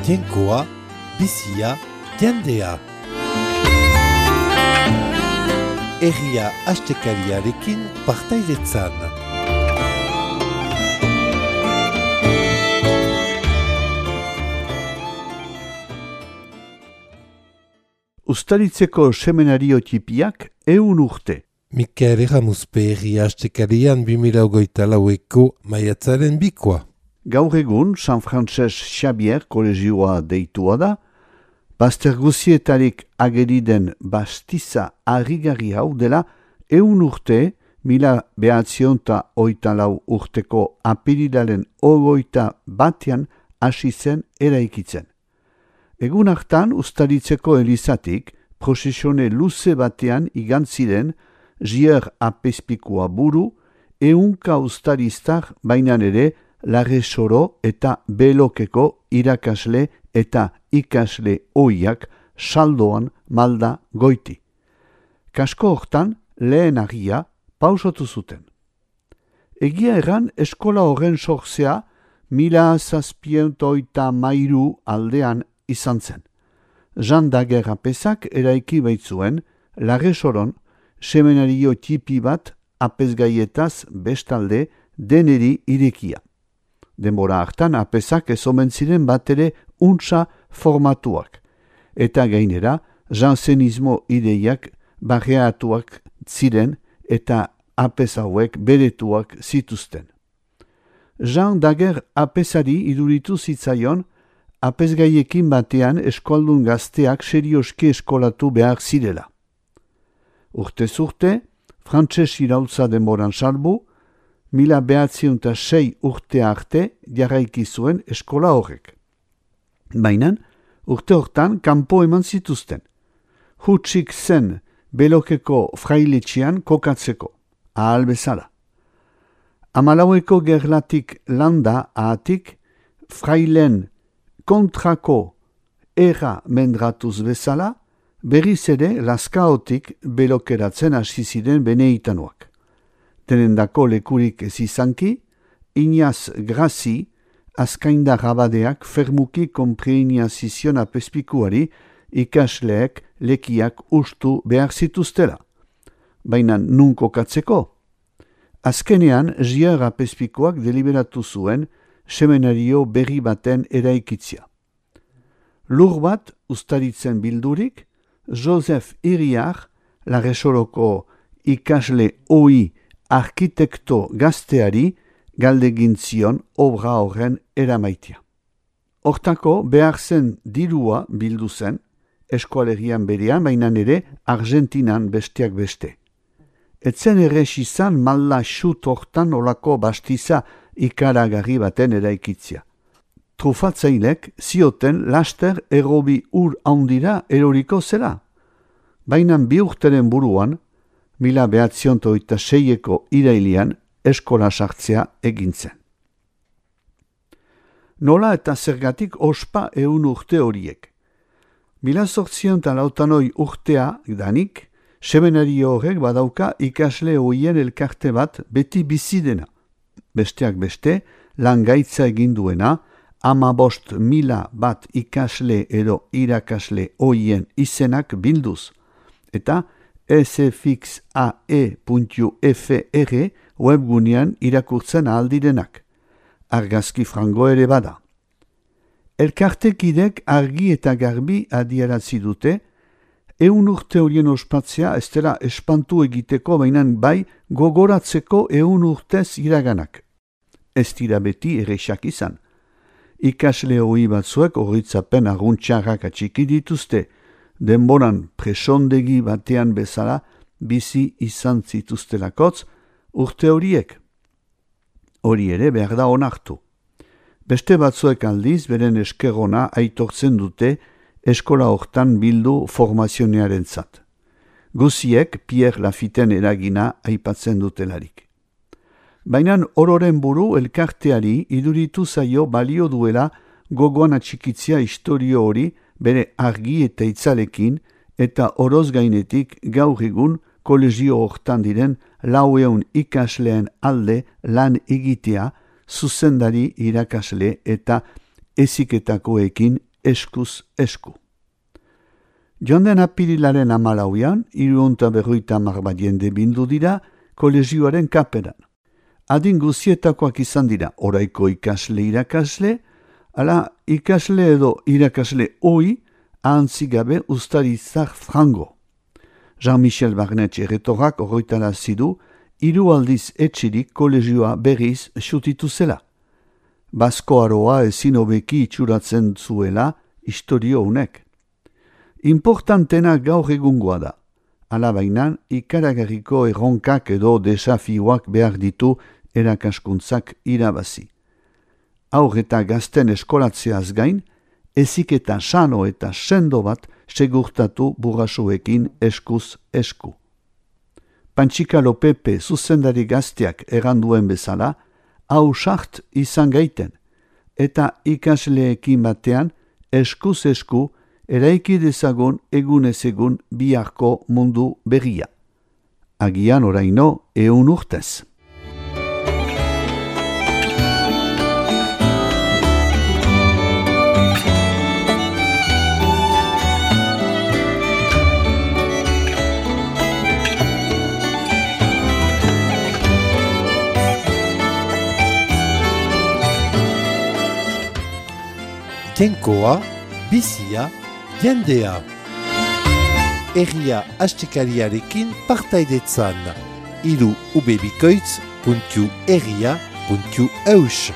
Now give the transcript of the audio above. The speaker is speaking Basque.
Jainkoa, bizia, jendea. Herria astekariarekin partaidetzan. Uztaritzeko semenario tipiak 100 urte. Mikel Erramuzpe herria astekarian 2024ko maiatzaren 2. Gaur egun San Frances Xavier kolegioa deitua da, bazter guzietarik ageri den bastiza harrigarri hau dela 100 urte, 1984 urteko apirilaren 21 hasi zen eraikitzen. Egun hartan Uztaritzeko elizatik prozesione luze batean igantziren Jier apezpikua buru, 100 uztariztar bainan ere Larre Soro eta Belokeko irakasle eta ikasle ohiak saldoan malda goiti. Kasko hortan lehen agia pausotu zuten. Egia erran eskola horren sortzea 1783 aldean izan zen. Jean Daguerre apezak eraiki baitzuen Larre Soron semenario tipi bat apezgaietaz bestalde deneri irekia. Denbora hartan apezak ez omen ziren bat ere untsa formatuak, eta gainera jansenismo ideiak barreatuak ziren eta apez hauek beretuak zituzten. Jean Daguerre apezari iduritu zitzaion apezgaiekin batean eskoldun gazteak serioski eskolatu behar zirela. Urtez urte, frantses iraultza denboran salbu, 1906 urte arte jarraiki zuen eskola horrek. Baina, urte hortan kanpo eman zituzten. Hutsik zen Belokeko frailetxean kokatzeko, ahal bezala. 14 gerlatik landa ahatik, frailen kontrako erra mendratuz bezala, berriz ere laskaotik belokeratzen hasi ziren beneitanoak. Denendako lekurik ez izanki, Ignaz Grazi, azkaindar abadeak fermuki konpreinia zizion apezpikuari ikasleek lekiak ustu behar zituztela. Baina nun kokatzeko? Azkenean, Jier apezpikuak deliberatu zuen semenario berri baten eraikitzia. Lur bat Uztaritzen bildurik, Joseph Iriar, Larre Soroko ikasle ohi arkitekto gazteari galdegin zion obra horren eramaitia. Hortako behar zen dirua bildu zen, eskualerian berean, baina ere Argentinan besteak beste. Etzen errez izan malda xut hortan olako bastiza ikaragarri baten eraikitzia. Trufatzailek zioten laster errobi ur handira eroriko zela. Baina bi urteren buruan, 1906ko irailian eskola sartzea egintzen. Nola eta zergatik ospa 100 urte horiek. 1808 urtea danik, semenario horrek badauka ikasle hoien elkarte bat beti bizidena. Besteak beste, lan gaitza egin duena, 15.000 bat ikasle edo irakasle hoien izenak bilduz. Eta sfxae.fr webgunean irakurtzen ahaldirenak. Argazki frango ere bada. Elkartekidek argi eta garbi adierazi dute, 100 urte horien ospatzea ez dela espantu egiteko bainan bai gogoratzeko 100 urtez iraganak. Ez dira beti errexak izan. Ikasle hoi batzuek horritzapen arguntxarrak atxiki dituzte, denboran presondegi batean bezala bizi izan zituztelakotz urte horiek. Hori ere behar da onartu. Beste batzuek aldiz beren eskerona aitortzen dute eskola hortan bildu formazionearen zat. Guziek Pierre Lafitten eragina aipatzen dutelarik. Baina ororen buru elkarteari iduritu zaio balio duela gogoan atxikitzia historio hori bere argi eta itzalekin eta oroz gainetik gaur egun kolegio hortan diren 400 ikasleen alde lan egitea zuzendari irakasle eta heziketakoekin eskuz esku. Joan den apirilaren 14an, 350 bat jende bildu dira kolegioaren kaperan. Adin guzietakoak izan dira oraiko ikasle irakasle, ala ikasle edo irakasle ohi ahantzigabe ustarizar frango. Jean-Michel Barnetxe erretorak horretarazi du 3 aldiz etxirik kolegioa berriz xutitu zela. Basko aroa ezin hobeki itxuratzen zuela historio honek. Importantena gaur egungoa da. Alabainan, ikaragarriko erronkak edo desafioak behar ditu erakaskuntzak irabazi. Haur eta gazten eskolatzeaz gain, heziketa sano eta sendo bat segurtatu burrasuekin eskuz esku. Pantxikalo Pepe zuzendari gazteak erranduen bezala, hau sart izan gaiten, eta ikasleekin batean eskuz esku eraiki dezagun egunez egun biharko mundu berria. Agian oraino 100 urtez. Jainkoa, bizia, jendea. Herria astekariarekin partaidetzan. ubebikoitz.herria.eus